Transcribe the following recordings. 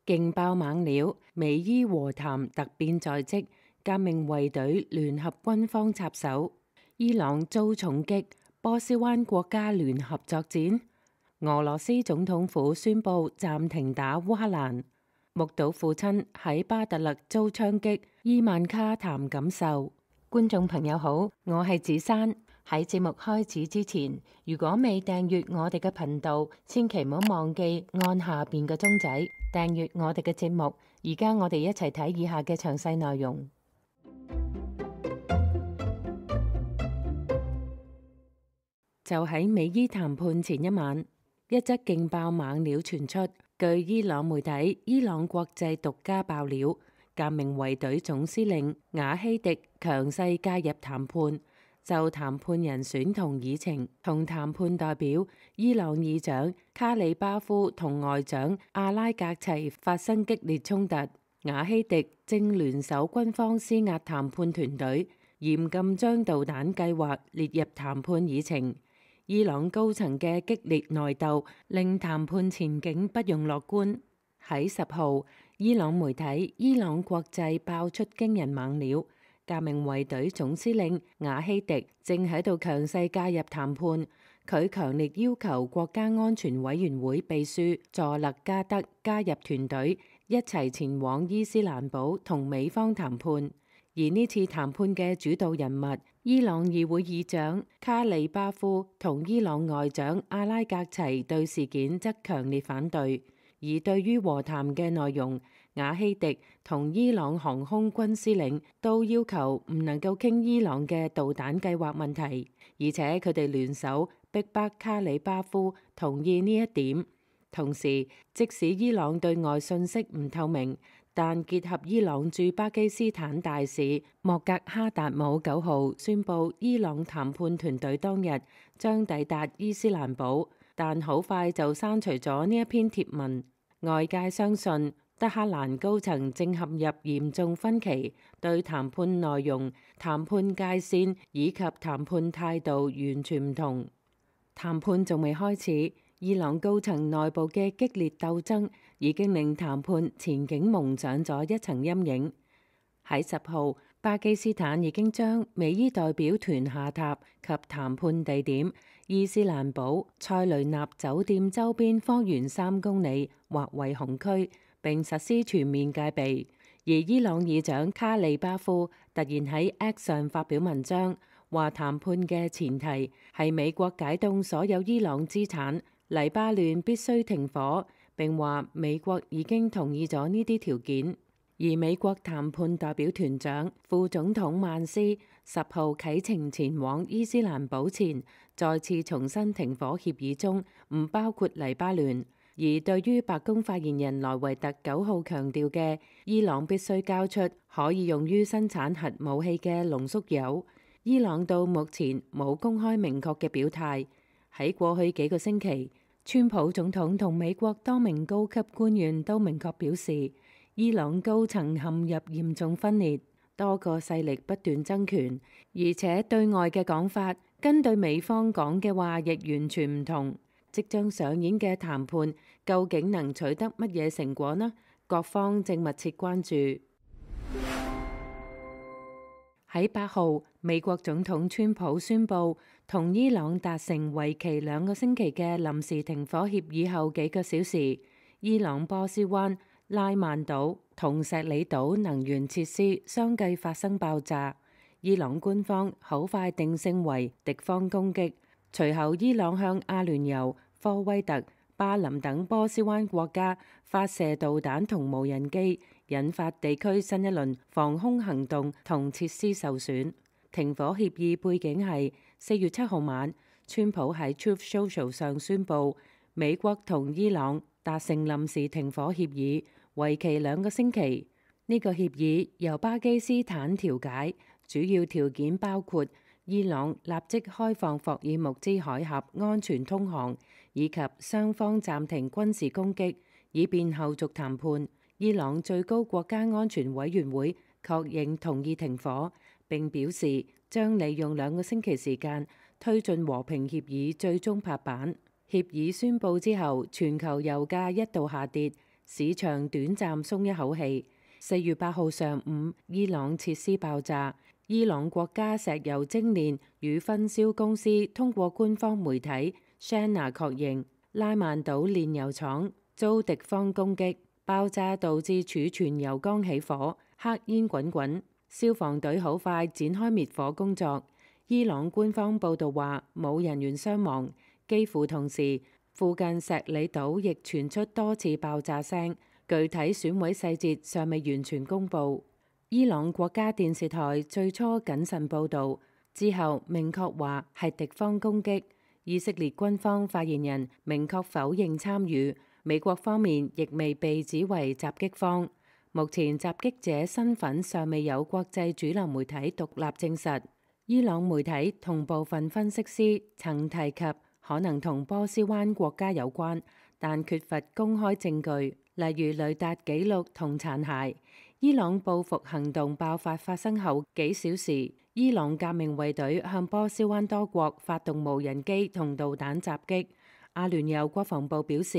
勁爆猛料，美伊和談突變在即，革命衛隊聯合軍方插手，伊朗遭重擊，波斯灣國家聯合作戰。俄羅斯總統府宣布暫停打烏克蘭。目睹父親喺巴特勒遭槍擊，伊萬卡談感受。觀眾朋友好，我係子珊。喺節目開始之前，如果未訂閱我哋嘅頻道，千祈唔好忘記按下邊嘅鐘仔訂閱我哋嘅節目。而家我哋一齊睇以下嘅詳細內容。就喺美伊談判前一晚，一則勁爆猛料傳出，據伊朗媒體伊朗國際獨家爆料，革命衛隊總司令瓦希迪強勢介入談判，就談判人選同議程同談判代表伊朗議長卡里巴夫同外長阿拉格齊發生激烈衝突。瓦希迪正聯手軍方施壓談判團隊，嚴禁將導彈計劃列入談判議程。伊朗高層嘅激烈內鬥令談判前景不容樂觀。喺10號，伊朗媒體伊朗國際爆出驚人猛料，革命衛隊總司令瓦希迪正喺度強勢介入談判。佢強烈要求國家安全委員會秘書佐勒加德加入團隊，一齊前往伊斯蘭堡同美方談判。而呢次談判嘅主導人物，伊朗議會議長卡里巴夫同伊朗外長阿拉格齊對事件則強烈反對。而對於和談嘅內容，瓦希迪同伊朗航空軍司令都要求唔能夠傾伊朗嘅導彈計劃問題，而且佢哋聯手逼迫卡里巴夫同意呢一點。同時，即使伊朗對外信息唔透明，但結合伊朗駐巴基斯坦大使莫格哈達姆9號宣布，伊朗談判團隊當日將抵達伊斯蘭堡，但好快就刪除咗呢一篇貼文。外界相信德黑蘭高層正陷入嚴重分歧，對談判內容、談判界線以及談判態度完全唔同。談判仲未開始，伊朗高層內部嘅激烈鬥爭已經令談判前景蒙上咗一層陰影。喺10號，巴基斯坦已經將美伊代表團下榻及談判地點伊斯蘭堡塞雷納酒店周邊方圓3公里劃為紅區，並實施全面戒備。而伊朗議長卡里巴夫突然喺 X 上發表文章，話談判嘅前提係美國解凍所有伊朗資產，黎巴嫩必須停火，並話美國已經同意咗呢啲條件。而美國談判代表團長副總統曼斯10號啟程前往伊斯蘭堡前，再次重申停火協議中唔包括黎巴嫩。而對於白宮發言人萊維特9號強調嘅伊朗必須交出可以用於生產核武器嘅濃縮鈾，伊朗到目前冇公開明確嘅表態。喺過去幾個星期，川普總統同美國多名高級官員都明確表示，伊朗高層陷入嚴重分裂，多個勢力不斷爭權，而且對外嘅講法跟對美方講嘅話亦完全唔同。即將上演嘅談判究竟能取得乜嘢成果呢？各方正密切關注。喺8號，美國總統川普宣布同伊朗達成為期2個星期嘅臨時停火協議後幾個小時，伊朗波斯灣、拉曼島同錫里島能源設施相繼發生爆炸。伊朗官方好快定性為敵方攻擊。隨後，伊朗向阿聯酋、科威特、巴林等波斯灣國家發射導彈同無人機，引發地區新一輪防空行動同設施受損。停火協議背景係4月7號晚，川普喺 Truth Social 上宣布，美國同伊朗達成臨時停火協議，為期2個星期。呢個協議由巴基斯坦調解，主要條件包括伊朗立即開放霍爾木茲海峽安全通航，以及雙方暫停軍事攻擊，以便後續談判。伊朗最高國家安全委員會確認同意停火，並表示將利用2個星期時間推進和平協議最終拍板。協議宣布之後，全球油價一度下跌，市場短暫鬆一口氣。4月8號上午，伊朗設施爆炸。伊朗國家石油精煉與分銷公司通過官方媒體 SANA 確認，拉曼島煉油廠遭敵方攻擊，爆炸導致儲存油缸起火，黑煙滾滾。消防隊好快展開滅火工作。伊朗官方報導話冇人員傷亡。幾乎同時，附近石里島亦傳出多次爆炸聲，具體損毀細節尚未完全公佈。伊朗國家電視台最初謹慎報導，之後明確話係敵方攻擊。以色列軍方發言人明確否認參與，美國方面亦未被指為襲擊方。目前襲擊者身份尚未有國際主流媒體獨立證實。伊朗媒體同部分分析師曾提及可能同波斯灣國家有關，但缺乏公開證據，例如雷達記錄同殘骸。伊朗報復行動爆發生後幾小時，伊朗革命衛隊向波斯灣多國發動無人機同導彈襲擊。阿聯酋國防部表示，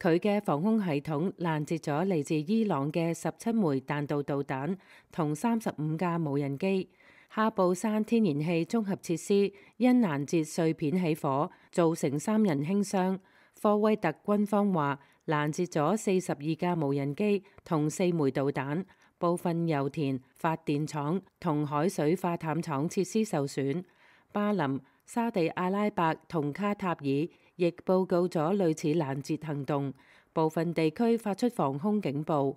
佢嘅防空系統攔截咗嚟自伊朗嘅17枚彈道導彈同35架無人機。哈布山天然氣綜合設施因攔截碎片起火，造成3人輕傷。科威特軍方話攔截咗42架無人機同4枚導彈，部分油田、發電廠同海水化淡廠設施受損。巴林、沙地阿拉伯同卡塔爾亦報告咗類似攔截行動，部分地區發出防空警報。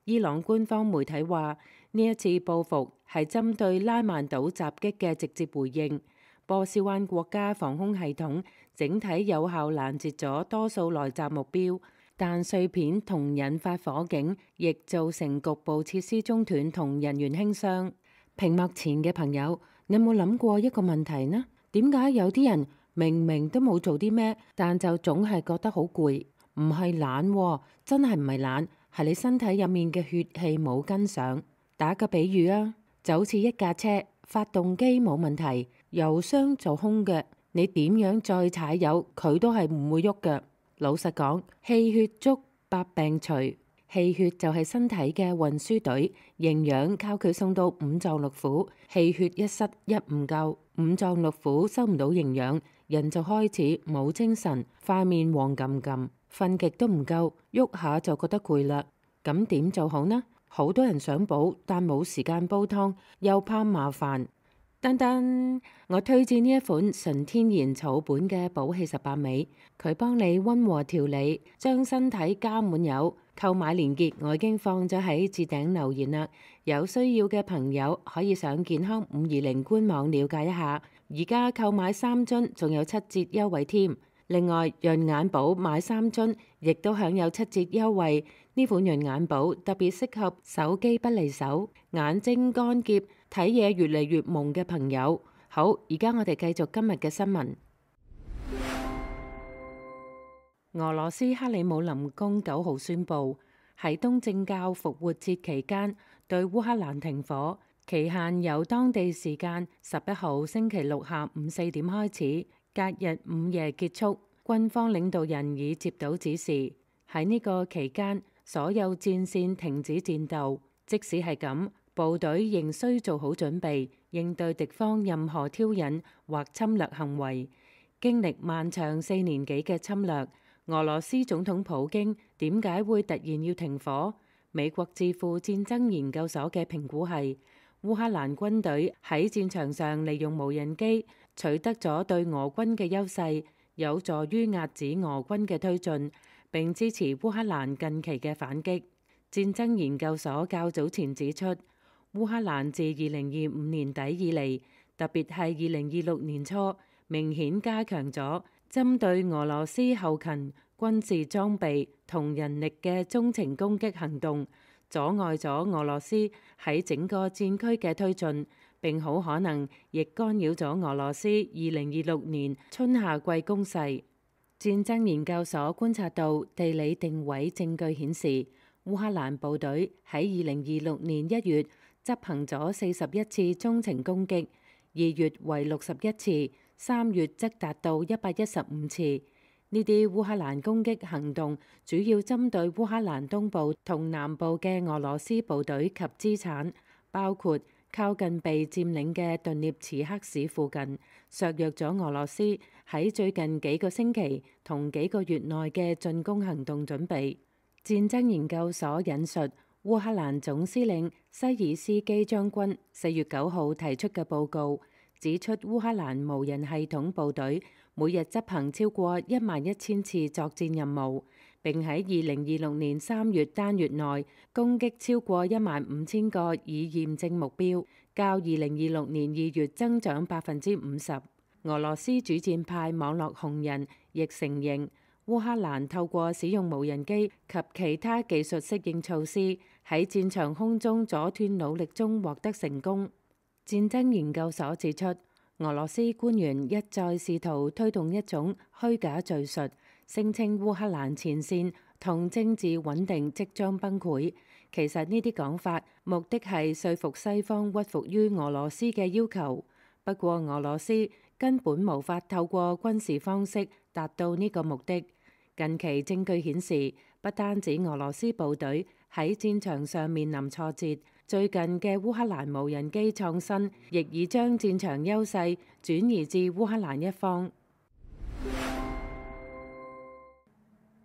伊朗官方媒體話，呢一次報復係針對拉曼島襲擊嘅直接回應。波斯灣國家防空系統整體有效攔截咗多數來襲目標，但碎片同引發火警，亦造成局部設施中斷同人員輕傷。屏幕前嘅朋友，你有冇諗過一個問題呢？點解有啲人明明都冇做啲咩，但就總係覺得好攰？唔係懶喎，真係唔係懶，係你身體入面嘅血氣冇跟上。打個比喻啊，就好似一架車，發動機冇問題，油箱就空嘅，你點樣再踩油，佢都係唔會喐嘅。老實講，氣血足，百病除。氣血就係身體嘅運輸隊，營養靠佢送到五臟六腑。氣血一失一唔夠，五臟六腑收唔到營養，人就開始冇精神，塊面黃冚冚，瞓極都唔夠，喐下就覺得攰啦。咁點做好呢？好多人想補，但冇時間煲湯，又怕麻煩。噔噔，我推薦呢一款純天然草本嘅補氣18味，佢幫你溫和調理，將身體加滿油。購買鏈接我已經放咗喺置頂留言啦，有需要嘅朋友可以上健康520官網了解一下。而家購買3樽仲有7折優惠添。另外潤眼寶買3樽亦都享有7折優惠。呢款潤眼寶特別適合手機不離手、眼睛乾澀、睇嘢越嚟越朦嘅朋友。好，而家我哋繼續今日嘅新聞。俄羅斯克里姆林宮9號宣布，喺東正教復活節期間對烏克蘭停火，期限由當地時間11號星期六下午4點開始，隔日午夜結束。軍方領導人已接到指示，喺呢個期間所有戰線停止戰鬥。即使係咁，部隊仍需做好準備，應對敵方任何挑釁或侵略行為。經歷漫長4年幾嘅侵略，俄羅斯總統普京點解會突然要停火？美國智庫戰爭研究所嘅評估係，烏克蘭軍隊喺戰場上利用無人機取得咗對俄軍嘅優勢，有助於壓止俄軍嘅推進，並支持烏克蘭近期嘅反擊。戰爭研究所較早前指出，烏克蘭自2025年底以嚟，特別係2026年初，明顯加強咗針對俄羅斯後勤、軍事裝備同人力嘅中程攻擊行動，阻礙咗俄羅斯喺整個戰區嘅推進，並好可能亦干擾咗俄羅斯2026年春夏季攻勢。戰爭研究所觀察到地理定位證據顯示，烏克蘭部隊喺2026年1月執行咗41次中程攻擊，2月為61次，3月則達到115次。呢啲烏克蘭攻擊行動主要針對烏克蘭東部同南部嘅俄羅斯部隊及資產，包括靠近被佔領嘅頓涅茨克市附近，削弱咗俄羅斯喺最近幾個星期同幾個月內嘅進攻行動準備。戰爭研究所引述烏克蘭總司令西爾斯基將軍4月9號提出嘅報告，指出烏克蘭無人系統部隊每日執行超過11000次作戰任務，並喺2026年3月單月內攻擊超過15000個已驗證目標，較2026年2月增長50%。俄羅斯主戰派網絡紅人亦承認，烏克蘭透過使用無人機及其他技術適應措施，喺戰場空中阻斷努力中獲得成功。戰爭研究所指出，俄羅斯官員一再試圖推動一種虛假敘述，聲稱烏克蘭前線同政治穩定即將崩潰。其實呢啲講法目的係說服西方屈服於俄羅斯嘅要求。不過俄羅斯根本無法透過軍事方式達到呢個目的。近期證據顯示，不單止俄羅斯部隊喺戰場上面臨挫折，最近嘅烏克蘭無人機創新亦已將戰場優勢轉移至烏克蘭一方。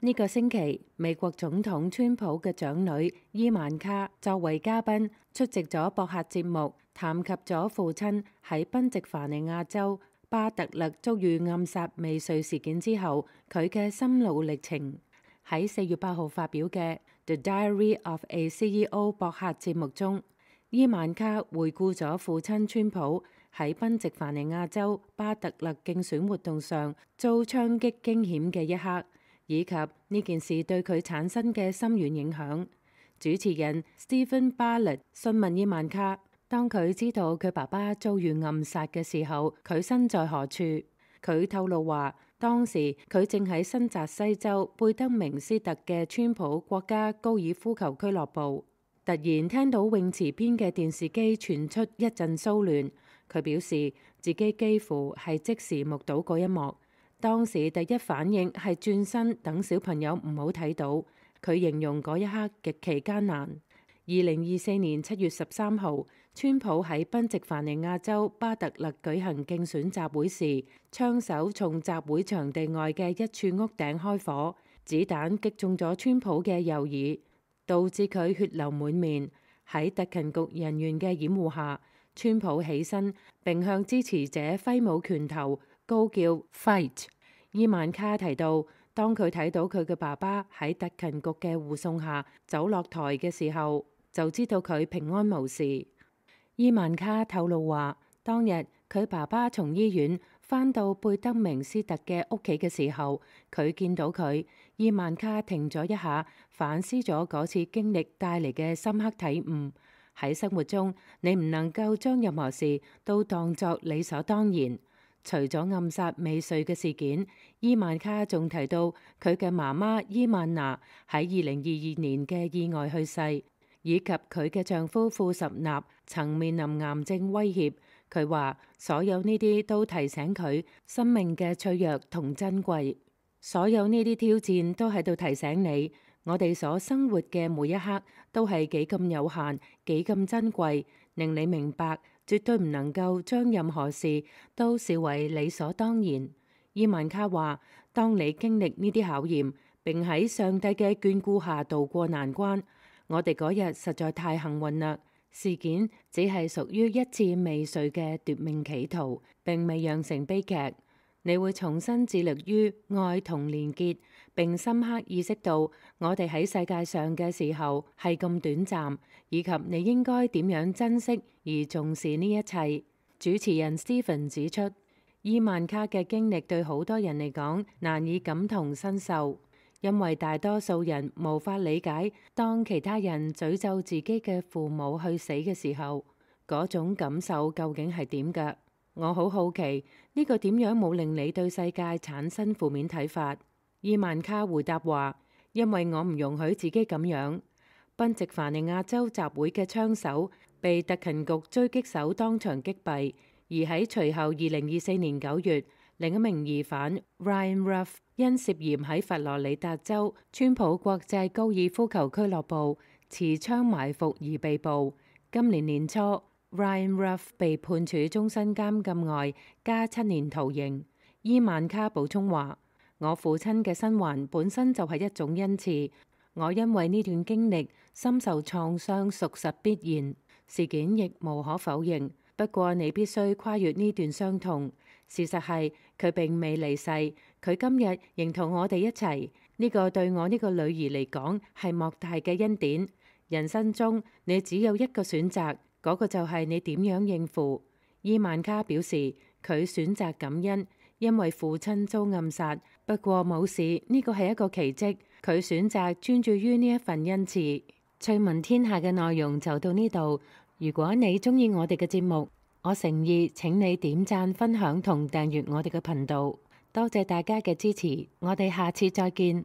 呢個星期，美國總統川普嘅長女伊萬卡作為嘉賓出席咗博客節目，談及咗父親喺賓夕凡尼亞州巴特勒遭遇暗殺未遂事件之後佢嘅心路歷程。喺4月8號發表嘅《The Diary of a CEO》博客節目中，伊萬卡回顧咗父親川普喺賓夕凡尼亞州巴特勒競選活動上遭槍擊驚險嘅一刻，以及呢件事對佢產生嘅深遠影響。主持人 Stephen Bartlett 詢問伊萬卡，當佢知道佢爸爸遭遇暗殺嘅時候，佢身在何處？佢透露話，當時佢正喺新澤西州貝德明斯特嘅川普國家高爾夫球俱樂部，突然聽到泳池邊嘅電視機傳出一陣騷亂。佢表示自己幾乎係即時目睹嗰一幕，當時第一反應係轉身等小朋友唔好睇到。佢形容嗰一刻極其艱難。2024年7月13號，川普喺賓夕凡尼亞州巴特勒舉行競選集會時，槍手從集會場地外嘅一處屋頂開火，子彈擊中咗川普嘅右耳，導致佢血流滿面。喺特勤局人員嘅掩護下，川普起身並向支持者揮舞拳頭，高叫 Fight。伊萬卡提到，當佢睇到佢嘅爸爸喺特勤局嘅護送下走落台嘅時候，就知道佢平安無事。伊萬卡透露話，當日佢爸爸從醫院返到貝德明斯特嘅屋企嘅時候，佢見到佢。伊萬卡停咗一下，反思咗嗰次經歷帶嚟嘅深刻體悟。喺生活中，你唔能夠將任何事都當作理所當然。除咗暗殺未遂嘅事件，伊萬卡仲提到佢嘅媽媽伊萬娜喺2022年嘅意外去世，以及佢嘅丈夫庫什納曾面臨癌症威脅。佢話所有呢啲都提醒佢生命嘅脆弱同珍貴。所有呢啲挑戰都喺度提醒你，我哋所生活嘅每一刻都係幾咁有限，幾咁珍貴，令你明白絕對唔能夠將任何事都視為理所當然。伊萬卡話，當你經歷呢啲考驗，並喺上帝嘅眷顧下渡過難關，我哋嗰日實在太幸運啦。事件只係屬於一次未遂嘅奪命企圖，並未釀成悲劇。你會重新致力於愛同連結，並深刻意識到我哋喺世界上嘅時候係咁短暫，以及你應該點樣珍惜而重視呢一切。主持人 Stephen 指出，伊萬卡嘅經歷對好多人嚟講難以感同身受，因為大多數人無法理解當其他人詛咒自己嘅父母去死嘅時候，嗰種感受究竟係點㗎？我好好奇呢個點樣冇令你對世界產生負面睇法？伊萬卡回答話，因為我唔容許自己咁樣。賓夕凡尼亞州集會嘅槍手被特勤局狙擊手當場擊斃，而喺隨後2024年9月，另一名疑犯 Ryan Ruff 因涉嫌喺佛羅里達州川普國際高爾夫球俱樂部持槍埋伏而被捕。今年年初，Ryan Ruff 被判處終身監禁外加7年徒刑。伊萬卡補充話：我父親嘅生還本身就係一種恩賜，我因為呢段經歷深受創傷，屬實必然。事件亦無可否認，不過你必須跨越呢段傷痛。事實係佢並未離世，佢今日仍同我哋一齊。呢個對我呢個女兒嚟講係莫大嘅恩典。人生中你只有一個選擇，嗰個就係你點樣應付。伊萬卡表示佢選擇感恩，因為父親遭暗殺。不過冇事，呢個係一個奇蹟。佢選擇專注於呢一份恩賜。趣聞天下嘅內容就到呢度。如果你鍾意我哋嘅節目，我誠意請你點讚、分享同訂閱我哋嘅頻道。多謝大家嘅支持，我哋下次再見。